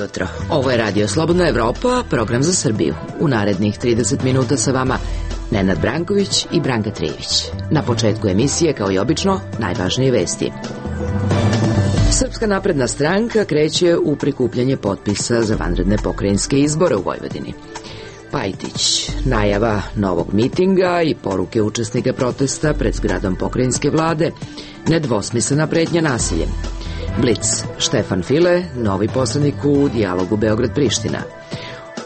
jutro. Ovo je Radio Slobodna Evropa, program za Srbiju. U narednih 30 minuta sa vama Nenad Branković i Branka Trijević. Na početku emisije, kao i obično, najvažnije vesti. Srpska napredna stranka kreće u prikupljanje potpisa za vanredne pokrajinske izbore u Vojvodini. Pajtić, najava novog mitinga i poruke učesnika protesta pred zgradom pokrajinske vlade, nedvosmislena pretnja nasiljem. Blic, Štefan File, novi poslanik u dijalogu Beograd-Priština.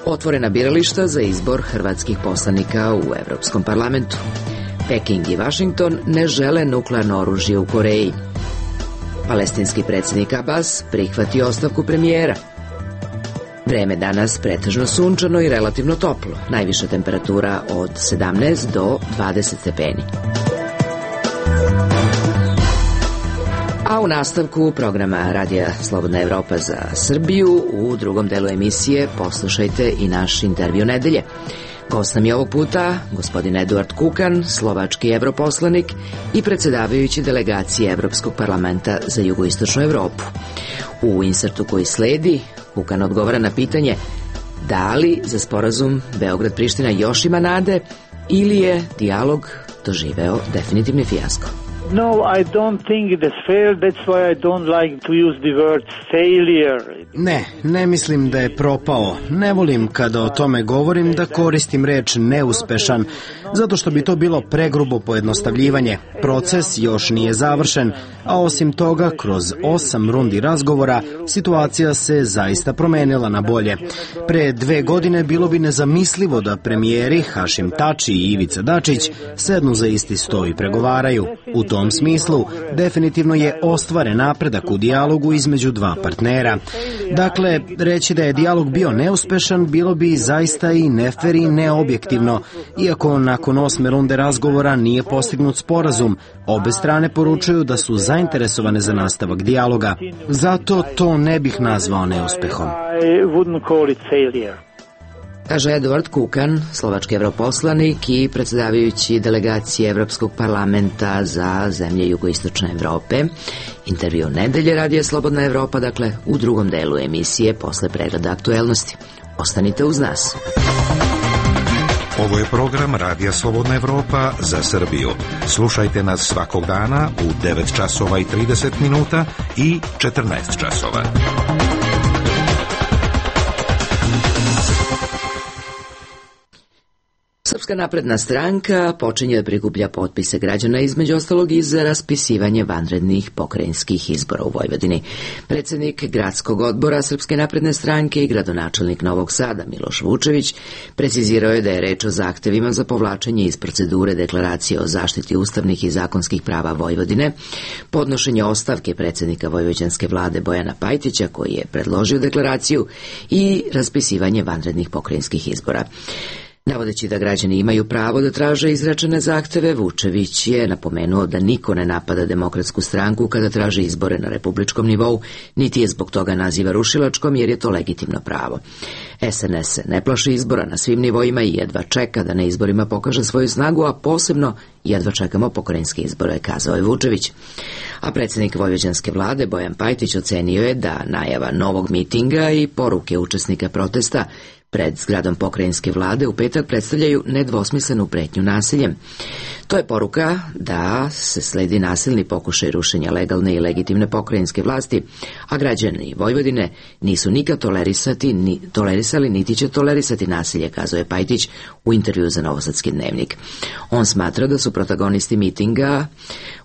Otvorena birališta za izbor hrvatskih poslanika u Evropskom parlamentu. Peking i Vašington ne žele nuklearno oružje u Koreji. Palestinski predsjednik Abbas prihvati ostavku premijera. Vreme danas pretežno sunčano i relativno toplo. Najviša temperatura od 17 do 20 stepeni. A u nastavku programa Radija Slobodna Evropa za Srbiju u drugom delu emisije poslušajte i naš intervju nedelje. Gost nam je ovog puta gospodin Eduard Kukan, slovački evroposlanik i predsjedavajući delegacije Evropskog parlamenta za jugoistočnu Evropu. U insertu koji sledi, Kukan odgovara na pitanje da li za sporazum Beograd-Priština još ima nade ili je dijalog doživeo definitivni fijasko. No, I don't think it is fair. That's why I don't like to use the word failure. Ne mislim da je propao. Ne volim kada o tome govorim da koristim reč neuspešan, zato što bi to bilo pregrubo pojednostavljivanje. Proces još nije završen, a osim toga, kroz 8 rundi razgovora, situacija se zaista promenila na bolje. Pre 2 godine bilo bi nezamislivo da premijeri Hašim Tači i Ivica Dačić sednu za isti sto i pregovaraju. U tom smislu, definitivno je ostvaren napredak u dijalogu između dva partnera. Dakle, reći da je dijalog bio neuspešan bilo bi zaista i nefer i neobjektivno, iako nakon 8 runde razgovora nije postignut sporazum. Obe strane poručuju da su zainteresovane za nastavak dijaloga. Zato to ne bih nazvao neuspehom. Kaže Eduard Kukan, slovački evroposlanik i predsjedavajući delegacije Evropskog parlamenta za zemlje jugoistočne Evrope. Intervju nedelje Radija Slobodna Evropa, dakle u drugom delu emisije posle pregleda aktuelnosti. Ostanite uz nas. Ovo je program Radija Slobodna Evropa za Srbiju. Slušajte nas svakog dana u 9 časova i 30 minuta i 14 časova. Srpska napredna stranka počinje da prikuplja potpise građana, između ostalog i za raspisivanje vanrednih pokrajinskih izbora u Vojvodini. Predsjednik gradskog odbora Srpske napredne stranke i gradonačelnik Novog Sada Miloš Vučević precizirao je da je reč o zahtevima za povlačenje iz procedure deklaracije o zaštiti ustavnih i zakonskih prava Vojvodine, podnošenje ostavke predsjednika vojvođanske vlade Bojana Pajtića koji je predložio deklaraciju i raspisivanje vanrednih pokrajinskih izbora. Navodeći da građani imaju pravo da traže izrečene zahteve, Vučević je napomenuo da niko ne napada Demokratsku stranku kada traži izbore na republičkom nivou, niti je zbog toga naziva rušilačkom, jer je to legitimno pravo. SNS se ne plaši izbora na svim nivoima i jedva čeka da na izborima pokaže svoju snagu, a posebno jedva čekamo pokrajinske izbore, kazao je Vučević. A predsjednik vojvođanske vlade Bojan Pajtić ocenio je da najava novog mitinga i poruke učesnika protesta pred zgradom pokrajinske vlade u petak predstavljaju nedvosmislenu pretnju nasiljem. To je poruka da se sledi nasilni pokušaj rušenja legalne i legitimne pokrajinske vlasti, a građani Vojvodine nisu nikad tolerisali niti će tolerisati nasilje, kazao je Pajtić u intervju za Novosadski dnevnik. On smatra da su protagonisti mitinga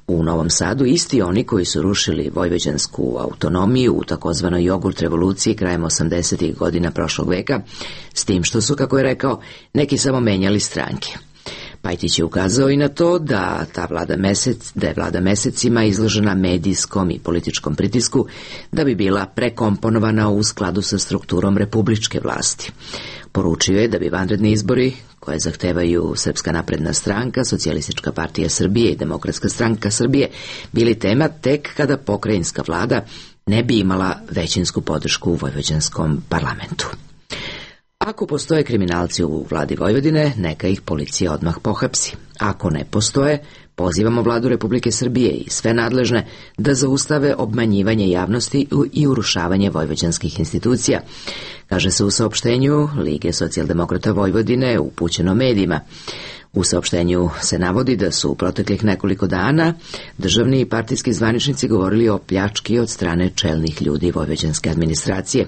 u Novom Sadu isti oni koji su rušili vojvođansku autonomiju u takozvanoj jogurt revoluciji krajem 80. godina prošlog veka, s tim što su, kako je rekao, neki samo menjali stranke. Pajtić je ukazao i na to da je vlada mesecima izložena medijskom i političkom pritisku da bi bila prekomponovana u skladu sa strukturom republičke vlasti. Poručio je da bi vanredni izbori koje zahtevaju Srpska napredna stranka, Socijalistička partija Srbije i Demokratska stranka Srbije bili tema tek kada pokrajinska vlada ne bi imala većinsku podršku u vojvođanskom parlamentu. Ako postoje kriminalci u vladi Vojvodine, neka ih policija odmah pohapsi. Ako ne postoje, pozivamo vladu Republike Srbije i sve nadležne da zaustave obmanjivanje javnosti i urušavanje vojvođanskih institucija, kaže se u saopštenju Lige socijaldemokrata Vojvodine upućeno medijima. U saopštenju se navodi da su u proteklih nekoliko dana državni i partijski zvaničnici govorili o pljački od strane čelnih ljudi vojvođanske administracije.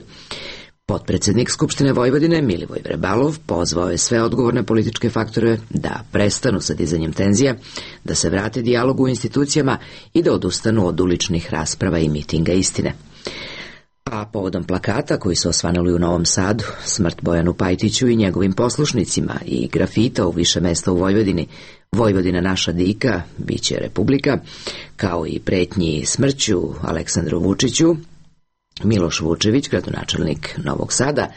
Potpredsednik Skupštine Vojvodine Milivoj Vrebalov pozvao je sve odgovorne političke faktore da prestanu sa dizanjem tenzija, da se vrate dijalogu u institucijama i da odustanu od uličnih rasprava i mitinga istine. A povodom plakata koji su osvanuli u Novom Sadu, smrt Bojanu Pajtiću i njegovim poslušnicima i grafita u više mesta u Vojvodini, Vojvodina naša dika, biće republika, kao i pretnji smrću Aleksandru Vučiću, Miloš Vučević, gradonačelnik Novog Sada,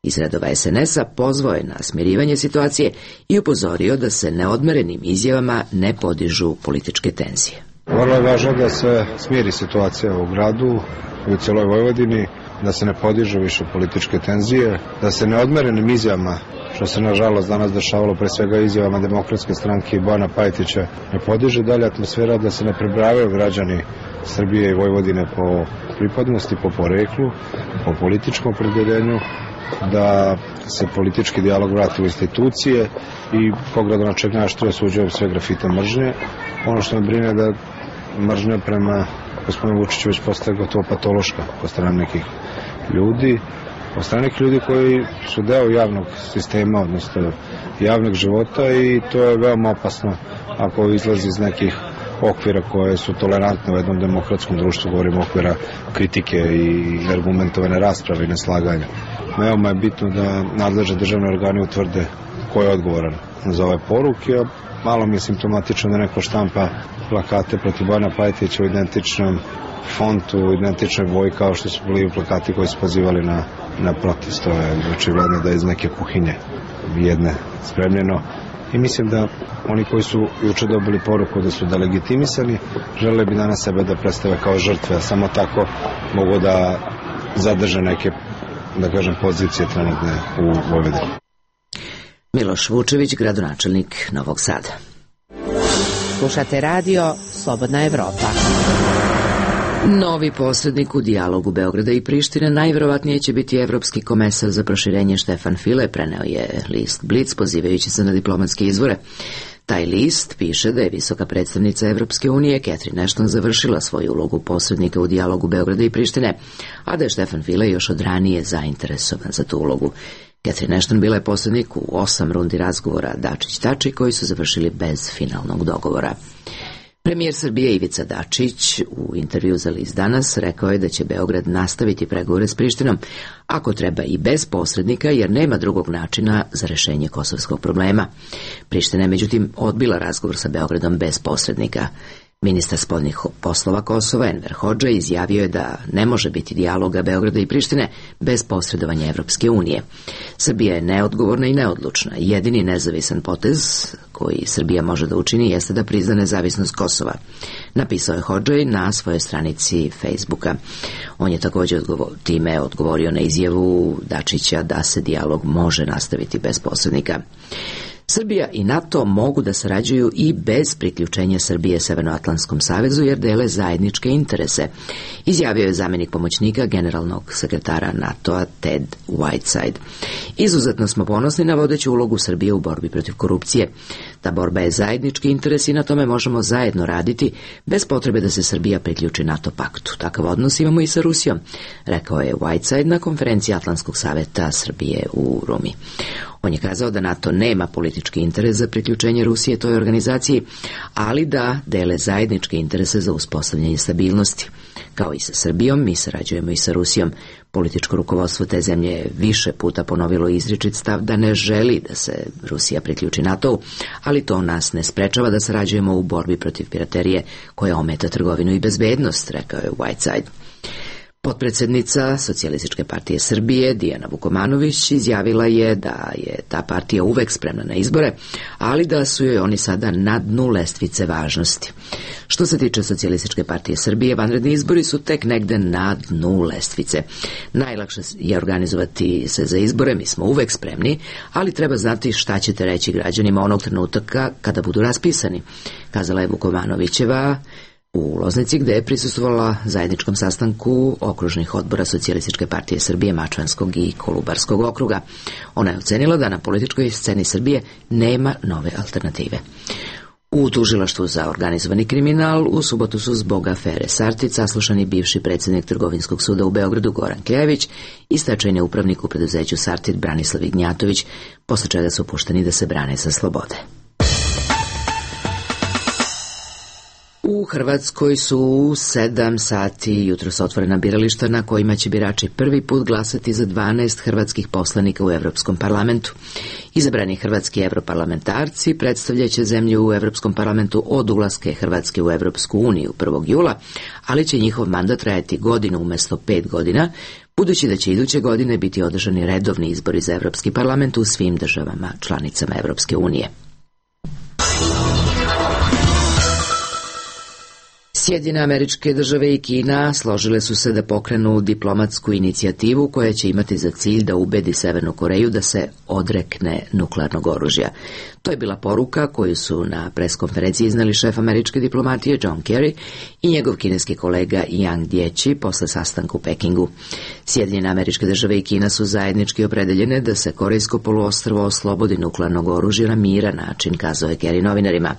iz redova SNS-a pozvao je na smirivanje situacije i upozorio da se neodmerenim izjavama ne podižu političke tenzije. Vrlo je važno da se smiri situacija u gradu i u cijeloj Vojvodini, da se ne podižu više političke tenzije, da se neodmerenim izjavama, što se nažalost danas dešavalo pre svega izjavama Demokratske stranke i Bojana Pajtića, ne podiže dalje atmosfera, da se ne prebrajaju građani Srbije i Vojvodine po pripadnosti, po poreklu, po političkom opredeljenju, da se politički dijalog vrati u institucije i kao gradonačelnik najštrije osuđujem sve grafite mržnje. Ono što me brine da mržnja prema gospodinu Vučiću već postaje gotovo patološka od strane nekih ljudi, od strane nekih ljudi koji su deo javnog sistema, odnosno javnog života, i to je veoma opasno ako izlazi iz nekih okvira koje su tolerantne u jednom demokratskom društvu, govorimo okvira kritike i argumentovane rasprave i neslaganja. Veoma je bitno da nadležne državne organe utvrde ko je odgovoran za ove poruke. Malo mi je simptomatično da neko štampa plakate protiv Bojana Pajtića u identičnom fontu, u identičnoj boji kao što su bili plakati koji su pozivali na protest. To je očigledno da je iz neke kuhinje jedne spremljeno. I mislim da oni koji su juče dobili poruku da su delegitimisani, žele bi danas sebe da predstave kao žrtve, a samo tako mogu da zadrže neke, da kažem, pozicije trenutne u Vojvodini. Miloš Vučević, gradonačelnik Novog Sada. Slušate radio Slobodna Evropa. Novi posrednik u dijalogu Beograda i Prištine najverovatnije će biti evropski komesar za proširenje Štefan File, preneo je list Blic pozivajući se na diplomatske izvore. Taj list piše da je visoka predstavnica Evropske unije Catherine Ashton završila svoju ulogu posrednika u dijalogu Beograda i Prištine, a da je Štefan File još od ranije zainteresovan za tu ulogu. Catherine Ashton bila je posrednik u 8 rundi razgovora Dačić-Tači koji su završili bez finalnog dogovora. Premijer Srbije Ivica Dačić u intervju za list Danas rekao je da će Beograd nastaviti pregovore s Prištinom, ako treba i bez posrednika, jer nema drugog načina za rešenje kosovskog problema. Priština je međutim odbila razgovor sa Beogradom bez posrednika. Ministar spoljnih poslova Kosova Enver Hodža izjavio je da ne može biti dijaloga Beograda i Prištine bez posredovanja Evropske unije. Srbija je neodgovorna i neodlučna. Jedini nezavisan potez koji Srbija može da učini jeste da prizna nezavisnost Kosova. Napisao je Hodža na svojoj stranici Facebooka. On je također time odgovorio na izjavu Dačića da se dijalog može nastaviti bez posrednika. Srbija i NATO mogu da sarađuju i bez priključenja Srbije Severnoatlantskom savezu jer dele zajedničke interese, izjavio je zamjenik pomoćnika generalnog sekretara NATO-a Ted Whiteside. Izuzetno smo ponosni na vodeću ulogu Srbije u borbi protiv korupcije. Ta borba je zajednički interes i na tome možemo zajedno raditi bez potrebe da se Srbija priključi NATO paktu. Takav odnos imamo i sa Rusijom, rekao je Whiteside na konferenciji Atlantskog saveta Srbije u Rumi. On je kazao da NATO nema politički interes za priključenje Rusije toj organizaciji, ali da dele zajedničke interese za uspostavljanje stabilnosti. Kao i sa Srbijom, mi sarađujemo i sa Rusijom. Političko rukovodstvo te zemlje je više puta ponovilo izričit stav da ne želi da se Rusija priključi NATO-u, ali to nas ne sprečava da sarađujemo u borbi protiv piraterije koja ometa trgovinu i bezbednost, rekao je Whiteside. Potpredsednica Socijalističke partije Srbije Dijana Vukomanović izjavila je da je ta partija uvek spremna na izbore, ali da su joj oni sada na dnu lestvice važnosti. Što se tiče Socijalističke partije Srbije, vanredni izbori su tek negde na dnu lestvice. Najlakše je organizovati se za izbore, mi smo uvek spremni, ali treba znati šta ćete reći građanima onog trenutka kada budu raspisani, kazala je Vukomanovićeva u Loznici, gde je prisustvovala zajedničkom sastanku okružnih odbora Socijalističke partije Srbije, Mačvanskog i Kolubarskog okruga. Ona je ocenila da na političkoj sceni Srbije nema nove alternative. U tužilaštvu za organizovani kriminal u subotu su zbog afere Sartid saslušani bivši predsjednik Trgovinskog suda u Beogradu Goran Klejević i stečajni upravnik u preduzeću Sartid Branislav Ignjatović, posle čega su pušteni da se brane sa slobode. U Hrvatskoj su u 7 sati jutros otvorena birališta na kojima će birači prvi put glasati za 12 hrvatskih poslanika u Evropskom parlamentu. Izabrani hrvatski evroparlamentarci predstavljaće zemlju u Evropskom parlamentu od ulaska Hrvatske u Evropsku uniju 1. jula, ali će njihov mandat trajati godinu umjesto 5 godina, budući da će iduće godine biti održani redovni izbori za Evropski parlament u svim državama članicama Evropske unije. Sjedinjene Američke Države i Kina složile su se da pokrenu diplomatsku inicijativu koja će imati za cilj da ubedi Severnu Koreju da se odrekne nuklearnog oružja. To je bila poruka koju su na preskonferenciji iznali šef američke diplomatije John Kerry i njegov kineski kolega Yang Jiechi posle sastanka u Pekingu. Sjedinjene Američke Države i Kina su zajednički opredeljene da se Korejsko poluostrvo oslobodi nuklearnog oružja na miran način, kazao je Kerry novinarima.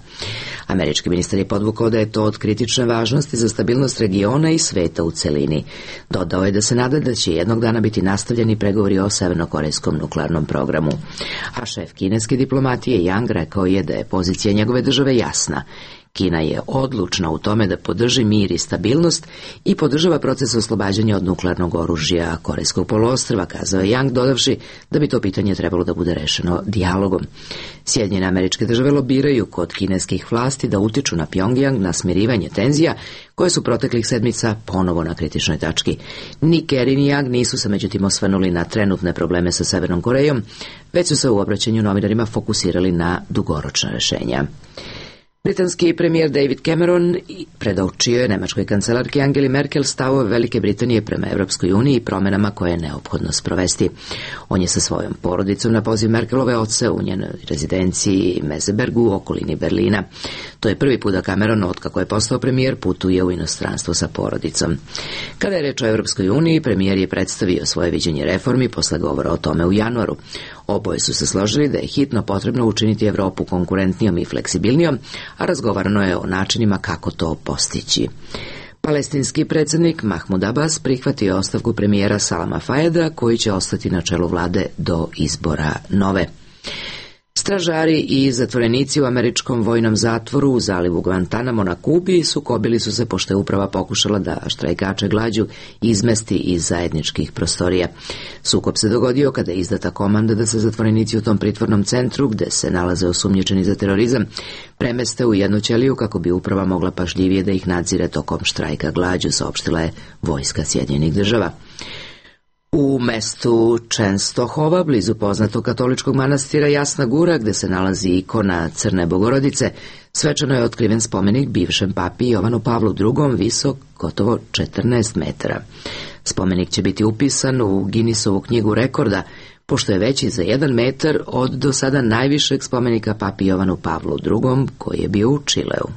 Američki ministar je podvukao da je to od kritične važnosti za stabilnost regiona i sveta u celini. Dodao je da se nada da će jednog dana biti nastavljeni pregovori o severnokorejskom nuklearnom programu. A šef kineske diplomatije Yang rekao je da je pozicija njegove države jasna. Kina je odlučna u tome da podrži mir i stabilnost i podržava proces oslobađanja od nuklearnog oružja Korejskog poluostrva, kazao je Yang, dodavši da bi to pitanje trebalo da bude rešeno dijalogom. Sjedinjene Američke Države lobiraju kod kineskih vlasti da utiču na Pjongjang na smirivanje tenzija koje su proteklih sedmica ponovo na kritičnoj tački. Ni Kerry ni Yang nisu se međutim osvrnuli na trenutne probleme sa Severnom Korejom, već su se u obraćanju novinarima fokusirali na dugoročna rešenja. Britanski premijer David Cameron predočio je nemačkoj kancelarki Angeli Merkel stavove Velike Britanije prema Evropskoj uniji i promenama koje je neophodno sprovesti. On je sa svojom porodicom na poziv Merkelove oce u njenoj rezidenciji Mesebergu u okolini Berlina. To je prvi put da Cameron, otkako je postao premijer, putuje u inostranstvo sa porodicom. Kada je reč o Evropskoj uniji, premijer je predstavio svoje viđenje reformi posle govora o tome u januaru. Oboje su se složili da je hitno potrebno učiniti Evropu konkurentnijom i fleksibilnijom, a razgovarano je o načinima kako to postići. Palestinski predsjednik Mahmud Abbas prihvatio ostavku premijera Salama Fayeda, koji će ostati na čelu vlade do izbora nove. Stražari i zatvorenici u američkom vojnom zatvoru u zalivu Guantanamo na Kubi sukobili su se pošto je uprava pokušala da štrajkače glađu izmesti iz zajedničkih prostorija. Sukob se dogodio kada je izdata komanda da se zatvorenici u tom pritvornom centru, gde se nalaze osumnjičeni za terorizam, premeste u jednu ćeliju kako bi uprava mogla pažljivije da ih nadzire tokom štrajka glađu, saopštila je vojska Sjedinjenih Država. U mestu Čenstohova, blizu poznatog katoličkog manastira Jasna Gura, gde se nalazi ikona Crne Bogorodice, svečano je otkriven spomenik bivšem papi Jovanu Pavlu II, visok gotovo 14 metara. Spomenik će biti upisan u Guinnessovu knjigu rekorda, pošto je veći za 1 metar od do sada najvišeg spomenika papi Jovanu Pavlu II, koji je bio u Čileu.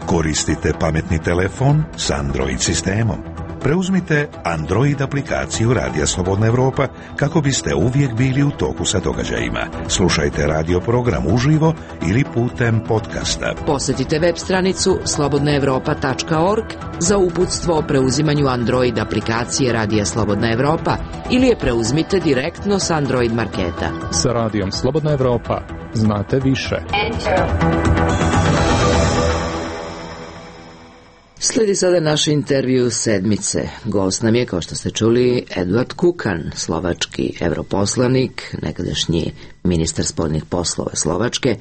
Koristite pametni telefon s Android sistemom. Preuzmite Android aplikaciju Radija Slobodna Evropa kako biste uvijek bili u toku sa događajima. Slušajte radio program uživo ili putem podcasta. Posjetite web stranicu slobodnaevropa.org za uputstvo o preuzimanju Android aplikacije Radija Slobodna Evropa ili je preuzmite direktno s Android marketa. Sa Radijom Slobodna Evropa znate više. Slijedi sada naš intervju sedmice. Gost nam je, kao što ste čuli, Edvard Kukan, slovački europoslanik, nekadašnji ministar spoljnih poslova Slovačke,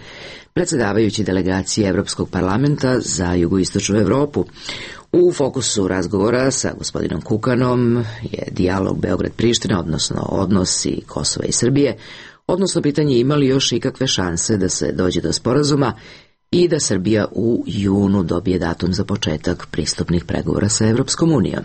predsjedavajući delegacije Evropskog parlamenta za jugoistočnu Evropu. U fokusu razgovora sa gospodinom Kukanom je dijalog Beograd-Priština, odnosno odnosi Kosova i Srbije, odnosno pitanje ima li još ikakve šanse da se dođe do sporazuma i da Srbija u junu dobije datum za početak pristupnih pregovora sa Evropskom unijom.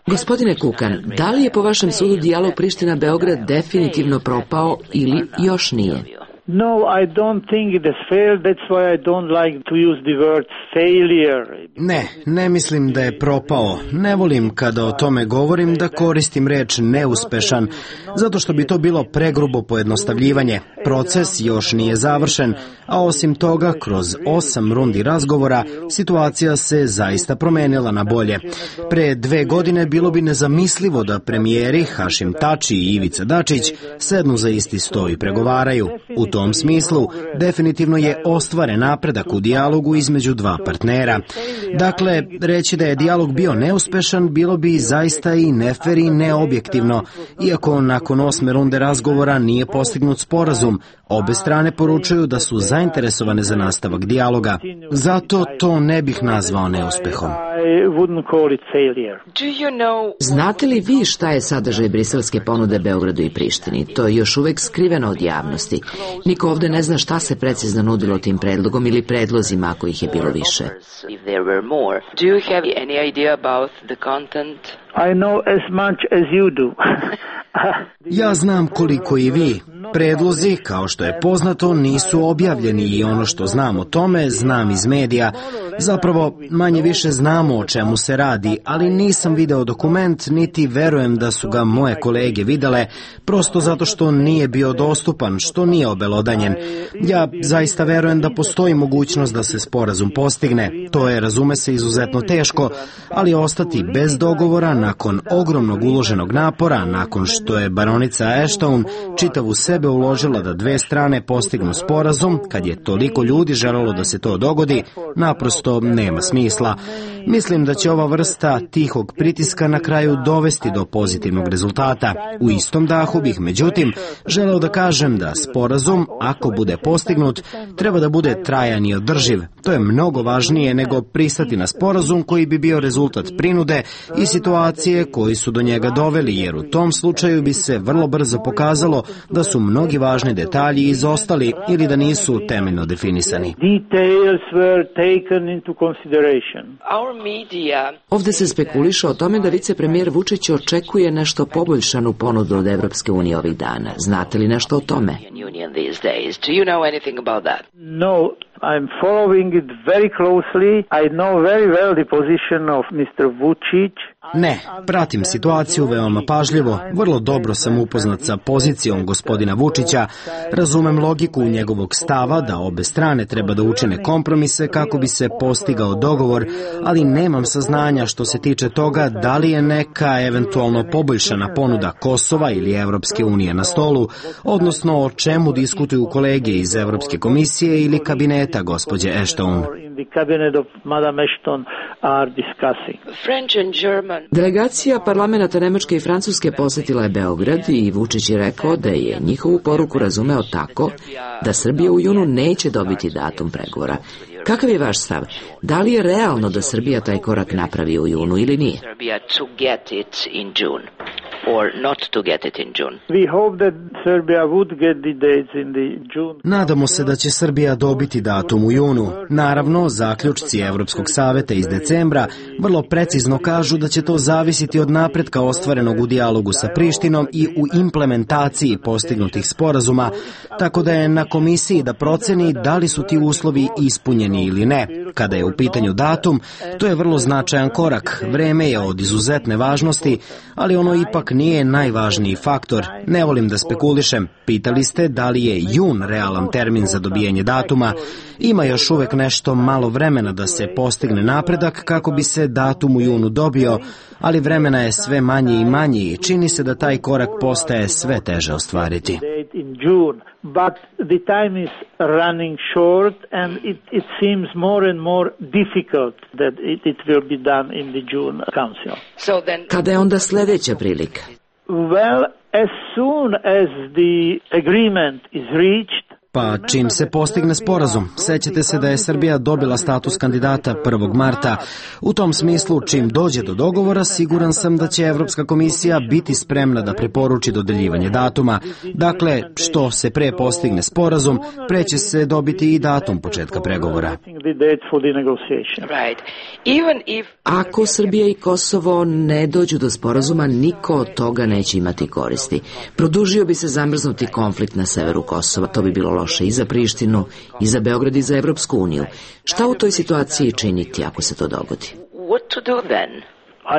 Gospodine Kukan, da li je po vašem sudu dijalog Priština-Beograd definitivno propao ili još nije? No, I don't think it has failed. That's why I don't like to use the word failure. Ne mislim da je propao. Ne volim kada o tome govorim da koristim reč neuspešan, zato što bi to bilo pregrubo pojednostavljivanje. Proces još nije završen, a osim toga, kroz 8 rundi razgovora, situacija se zaista promenila na bolje. Pre 2 godine bilo bi nezamislivo da premijeri Hašim Tači i Ivica Dačić sednu za isti sto i pregovaraju. U tom smislu, definitivno je ostvaren napredak u dijalogu između dva partnera. Dakle, reći da je dijalog bio neuspešan bilo bi zaista i nefer i neobjektivno, iako nakon 8 runde razgovora nije postignut sporazum. Obe strane poručuju da su zainteresovane za nastavak dijaloga. Zato to ne bih nazvao neuspehom. Znate li vi šta je sadržaj briselske ponude Beogradu i Prištini? To je još uvek skriveno od javnosti. Niko ovde ne zna šta se precizno nudilo tim predlogom ili predlozima ako ih je bilo više. I know as much as you do. Ja znam koliko i vi. Predlozi, kao što je poznato, nisu objavljeni i ono što znam o tome, znam iz medija. Zapravo, manje više znamo o čemu se radi, ali nisam video dokument, niti verujem da su ga moje kolege videle, prosto zato što nije bio dostupan, što nije obelodanjen. Ja zaista verujem da postoji mogućnost da se sporazum postigne. To je, razume se, izuzetno teško, ali ostati bez dogovora nakon ogromnog uloženog napora, nakon što je baronica Ashton čitavu sebe uložila da dve strane postignu sporazum, kad je toliko ljudi želelo da se to dogodi, naprosto nema smisla. Mislim da će ova vrsta tihog pritiska na kraju dovesti do pozitivnog rezultata. U istom dahu bih, međutim, želeo da kažem da sporazum, ako bude postignut, treba da bude trajan i održiv. To je mnogo važnije nego pristati na sporazum koji bi bio rezultat prinude i situacije koji su do njega doveli, jer u tom slučaju bi se vrlo brzo pokazalo da su mnogi važni detalji izostali ili da nisu temeljno definisani. Ovde se spekuliše o tome da vicepremijer Vučić očekuje nešto poboljšanu ponudu od Evropske unije ovih dana. Znate li nešto o tome? No, I'm following it very closely. I know very well the position of Mr. Vučić. Ne, pratim situaciju veoma pažljivo, vrlo dobro sam upoznat sa pozicijom gospodina Vučića, razumem logiku njegovog stava da obe strane treba da učine kompromise kako bi se postigao dogovor, ali nemam saznanja što se tiče toga da li je neka eventualno poboljšana ponuda Kosova ili Evropske unije na stolu, odnosno o čemu diskutuju kolege iz Evropske komisije ili kabineta gospođe Ashton. Delegacija parlamenata Nemačke i Francuske posjetila je Beograd i Vučić je rekao da je njihovu poruku razumeo tako da Srbija u junu neće dobiti datum pregovora. Kakav je vaš stav? Da li je realno da Srbija taj korak napravi u junu ili nije? Nadamo se da će Srbija dobiti datum u junu. Naravno, zaključci Evropskog saveta iz decembra vrlo precizno kažu da će to zavisiti od napretka ostvarenog u dijalogu sa Prištinom i u implementaciji postignutih sporazuma, tako da je na komisiji da proceni da li su ti uslovi ispunjeni ili ne. Kada je u pitanju datum, to je vrlo značajan korak. Vreme je od izuzetne važnosti, ali ono ipak nije najvažniji faktor. Ne volim da spekulišem. Pitali ste da li je jun realan termin za dobijanje datuma. Ima još uvek nešto malo vremena da se postigne napredak kako bi se datum u junu dobio, ali vremena je sve manje i manje i čini se da taj korak postaje sve teže ostvariti. But the time is running short and it seems more and more difficult that it will be done in the June Council. Kada je onda sljedeća prilika? Well, as soon as the agreement is reached, Pa čim se postigne sporazum, sećate se da je Srbija dobila status kandidata 1. marta. U tom smislu, čim dođe do dogovora, siguran sam da će Evropska komisija biti spremna da preporuči dodeljivanje datuma. Dakle, što se pre postigne sporazum, pre će se dobiti i datum početka pregovora. Ako Srbija i Kosovo ne dođu do sporazuma, niko od toga neće imati koristi. Produžio bi se zamrznuti konflikt na severu Kosova, to bi bilo loše i za Prištinu, i za Beograd, i za Evropsku uniju. Šta u toj situaciji činiti ako se to dogodi?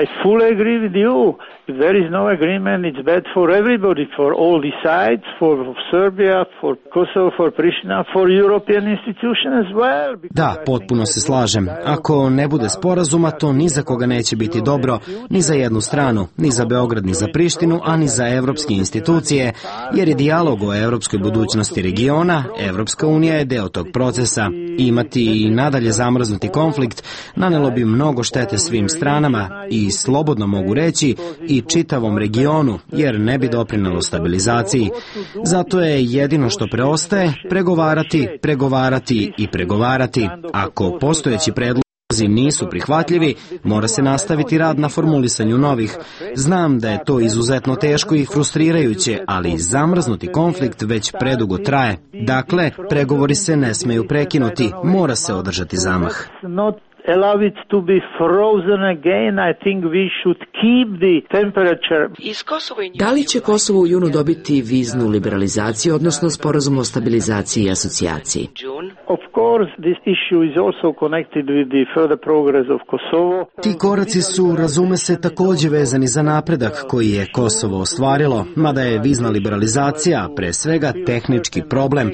I fully agree with you. If there is no agreement, it's bad for everybody, for all the sides, for Serbia, for Kosovo, for Pristina, for European institutions as well. Da, potpuno se slažem. Ako ne bude sporazuma, to ni za koga neće biti dobro, ni za jednu stranu, ni za Beograd, ni za Prištinu, a ni za evropske institucije, jer je dijalog o evropskoj budućnosti regiona, Evropska unija je deo tog procesa. Imati i nadalje zamrznuti konflikt nanelo bi mnogo štete svim stranama i slobodno mogu reći i čitavom regionu, jer ne bi doprinelo stabilizaciji. Zato je jedino što preostaje pregovarati i pregovarati. Ako postojeći predlozi nisu prihvatljivi, mora se nastaviti rad na formulisanju novih. Znam da je to izuzetno teško i frustrirajuće, ali zamrznuti konflikt već predugo traje. Dakle, pregovori se ne smeju prekinuti, mora se održati zamah. Allow it to be frozen again. I think we should keep the temperature. Da li će Kosovo u junu dobiti viznu liberalizaciju, odnosno sporazum o stabilizaciji i asocijaciji? Of course, this issue is also connected with the further progress of Kosovo. Ti koraci su, razume se, takođe vezani za napredak koji je Kosovo ostvarilo, mada je vizna liberalizacija pre svega tehnički problem.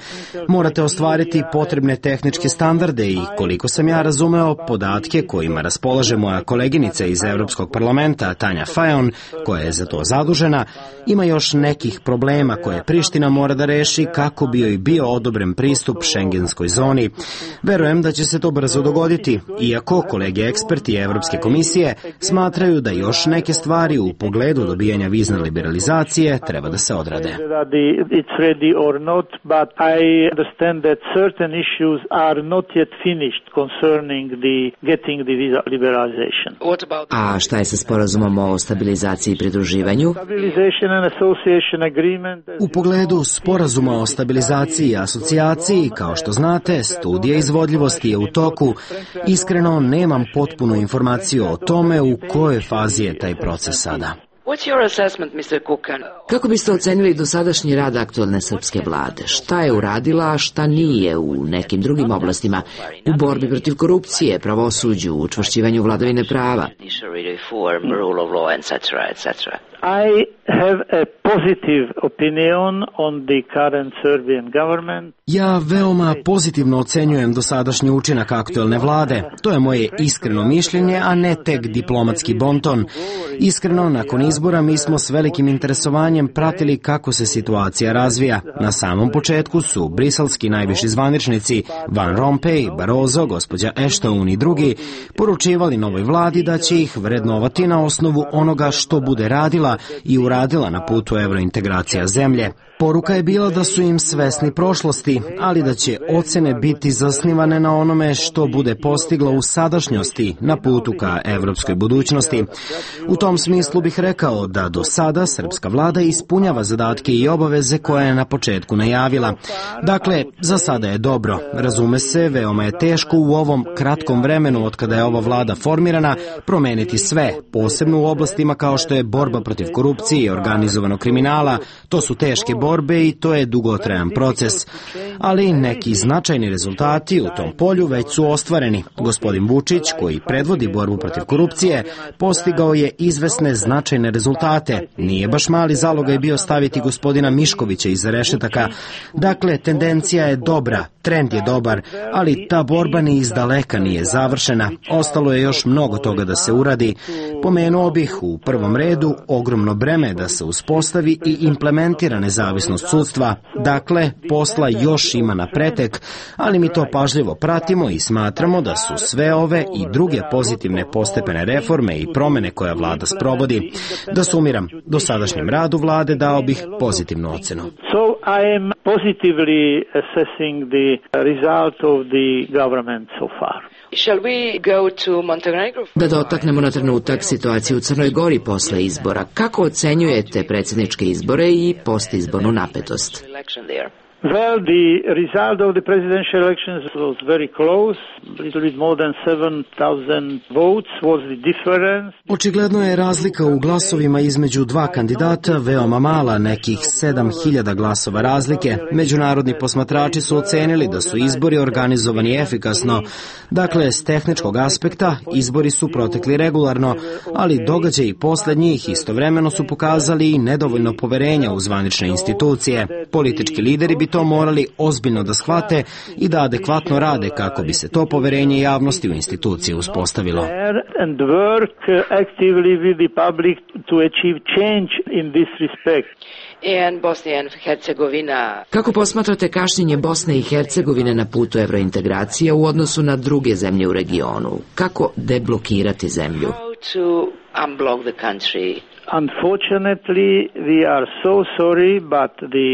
Morate ostvariti potrebne tehničke standarde i, koliko sam ja razumeo, podatke kojima raspolaže moja koleginica iz Evropskog parlamenta, Tanja Fajon, koja je za to zadužena, ima još nekih problema koje Priština mora da reši kako bi joj bio odobren pristup šengenskoj zoni. Verujem da će se to brzo dogoditi, iako kolege eksperti Evropske komisije smatraju da još neke stvari u pogledu dobijanja vizne liberalizacije treba da se odrade. A šta je sa sporazumom o stabilizaciji i pridruživanju? U pogledu sporazuma o stabilizaciji i asocijaciji, kao što znate, studija izvodljivosti je u toku. Iskreno, nemam potpunu informaciju o tome u kojoj fazi je taj proces sada. Kako biste ocenili dosadašnji rad aktualne srpske vlade? Šta je uradila, a šta nije u nekim drugim oblastima? U borbi protiv korupcije, pravosuđu, učvršćivanju vladavine prava? I have a positive opinion on the current Serbian government. Ja veoma pozitivno ocenjujem dosadašnji učinak aktuelne vlade. To je moje iskreno mišljenje, a ne tek diplomatski bonton. Iskreno, nakon izbora mi smo s velikim interesovanjem pratili kako se situacija razvija. Na samom početku su briselski najviši zvaničnici Van Rompuy, Barroso, gospođa Ashton i drugi poručivali novoj vladi da će ih vrednovati na osnovu onoga što bude radila i uradila na putu evrointegracija zemlje. Poruka je bila da su im svesni prošlosti, ali da će ocene biti zasnivane na onome što bude postiglo u sadašnjosti na putu ka evropskoj budućnosti. U tom smislu bih rekao da do sada srpska vlada ispunjava zadatke i obaveze koje je na početku najavila. Dakle, za sada je dobro. Razume se, veoma je teško u ovom kratkom vremenu od kada je ova vlada formirana promeniti sve, posebno u oblastima kao što je borba protiv korupcije i organizovanog kriminala. To su teške borbe i to je dugotrajan proces. Ali neki značajni rezultati u tom polju već su ostvareni. Gospodin Vučić, koji predvodi borbu protiv korupcije, postigao je izvesne značajne rezultate. Nije baš mali zalogaj bio staviti gospodina Miškovića iza rešetaka. Dakle, tendencija je dobra, trend je dobar, ali ta borba ni izdaleka nije završena. Ostalo je još mnogo toga da se uradi. Pomenuo bih u prvom redu ogromno breme da se uspostavi i implementira nezavisnost nezavisnost sudstva. Dakle, posla još ima na pretek, ali mi to pažljivo pratimo i smatramo da su sve ove i druge pozitivne postepene reforme i promene koje vlada sprovodi. Da sumiram, dosadašnjem radu vlade dao bih pozitivnu ocenu. So I am positively assessing the result of the government so far. Da dotaknemo na trenutak situaciju u Crnoj Gori posle izbora. Kako ocenjujete predsjedničke izbore i postizbornu napetost? Well, the result of the presidential elections was very close. A little bit more than 7,000 votes was the difference. Očigledno je razlika u glasovima između dva kandidata veoma mala, nekih 7.000 glasova razlike. Međunarodni posmatrači su ocenili da su izbori organizovani efikasno. Dakle, s tehničkog aspekta izbori su protekli regularno, ali događaji posle njih istovremeno su pokazali i nedovoljno poverenja u zvanične institucije. Politički lideri bi to morali ozbiljno da shvate i da adekvatno rade kako bi se to poverenje javnosti u institucije uspostavilo. Kako posmatrate kašnjenje Bosne i Hercegovine na putu evrointegracija u odnosu na druge zemlje u regionu? Kako deblokirati zemlju? Unfortunately, we are so sorry, but the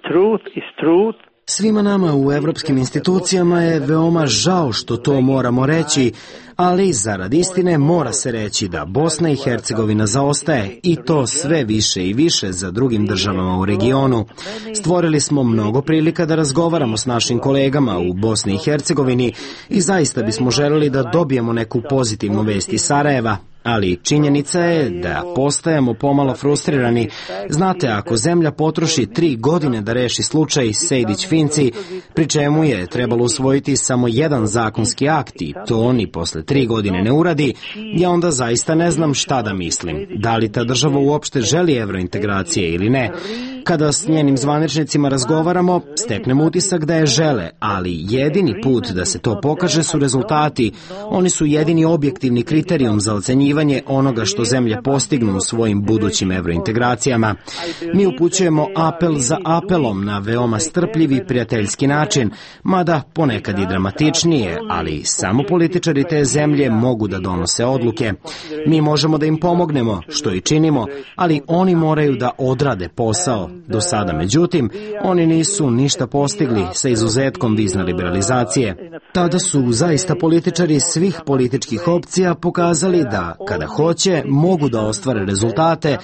truth is truth. Svima nama u evropskim institucijama je veoma žao što to moramo reći, ali zarad istine mora se reći da Bosna i Hercegovina zaostaje i to sve više i više za drugim državama u regionu. Stvorili smo mnogo prilika da razgovaramo s našim kolegama u Bosni i Hercegovini i zaista bismo želeli da dobijemo neku pozitivnu vest iz Sarajeva. Ali činjenica je da postajemo pomalo frustrirani. Znate, ako zemlja potroši 3 godine da reši slučaj Sejdić-Finci, pri čemu je trebalo usvojiti samo jedan zakonski akt i to oni posle 3 godine ne uradi, ja onda zaista ne znam šta da mislim. Da li ta država uopšte želi evrointegracije ili ne? Kada s njenim zvaničnicima razgovaramo, steknemo utisak da je žele, ali jedini put da se to pokaže su rezultati. Oni su jedini objektivni kriterijum za ocenjivanje onoga što zemlje postignu u svojim budućim evrointegracijama. Mi upućujemo apel za apelom na veoma strpljiv i prijateljski način, mada ponekad i dramatičnije, ali samo političari te zemlje mogu da donose odluke. Mi možemo da im pomognemo, što i činimo, ali oni moraju da odrade posao. Do sada, međutim, oni nisu ništa postigli sa izuzetkom vizne liberalizacije. Tada su zaista političari svih političkih opcija pokazali da, kada hoće, mogu da ostvare rezultate,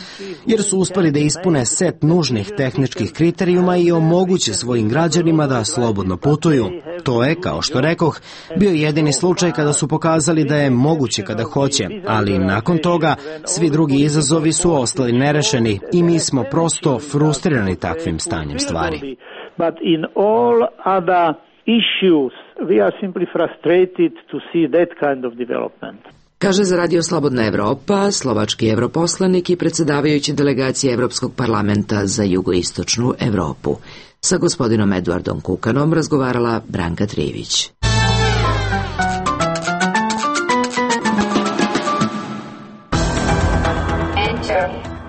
jer su uspeli da ispune set nužnih tehničkih kriterijuma i omoguće svojim građanima da slobodno putuju. To je, kao što rekoh, bio jedini slučaj kada su pokazali da je moguće kada hoće, ali nakon toga svi drugi izazovi su ostali nerešeni i mi smo prosto frustrirani takvim stanjem stvari. But in all other issues we are simply frustrated to see that kind of development. Kaže za Radio Slobodna Evropa slovački europoslanik i predsjedavajući delegacije Evropskog parlamenta za jugoistočnu Evropu. Sa gospodinom Eduardom Kukanom razgovarala Branka Trivić.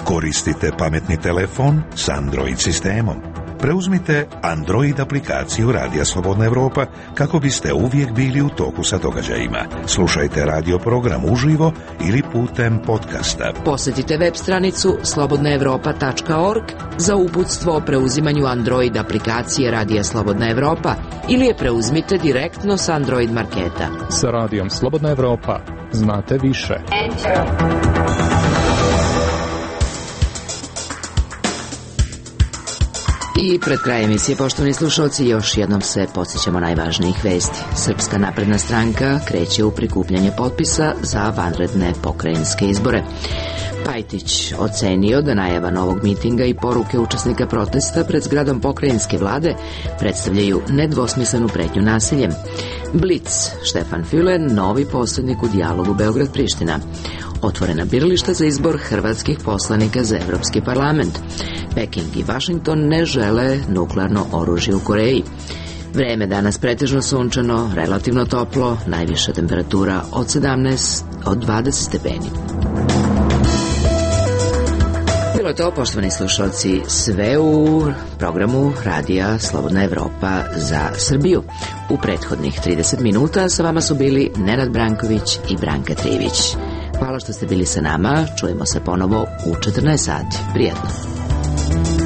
Koristite pametni telefon s Android sistemom. Preuzmite Android aplikaciju Radija Slobodna Evropa kako biste uvijek bili u toku sa događajima. Slušajte radio program uživo ili putem podcasta. Posjetite web stranicu slobodnaevropa.org za uputstvo o preuzimanju Android aplikacije Radija Slobodna Evropa ili je preuzmite direktno s Android marketa. Sa Radijom Slobodna Evropa znate više. I pred krajem emisije, poštovani slušalci, još jednom se podsjećamo najvažnijih vesti. Srpska napredna stranka kreće u prikupljanje potpisa za vanredne pokrajinske izbore. Pajtić ocenio da najava novog mitinga i poruke učesnika protesta pred zgradom pokrajinske vlade predstavljaju nedvosmislenu pretnju nasiljem. Blic, Štefan Füle, novi posrednik u dijalogu Beograd-Priština. Otvorena birališta za izbor hrvatskih poslanika za Evropski parlament. Peking i Washington ne žele nuklearno oružje u Koreji. Vreme danas pretežno sunčano, relativno toplo, najviša temperatura od 20 stepeni. Bilo je to, poštovani slušalci, sve u programu Radija Slobodna Evropa za Srbiju. U prethodnih 30 minuta sa vama su bili Nenad Branković i Branka Trivić. Hvala što ste bili sa nama, čujemo se ponovo u 14 sati. Prijatno.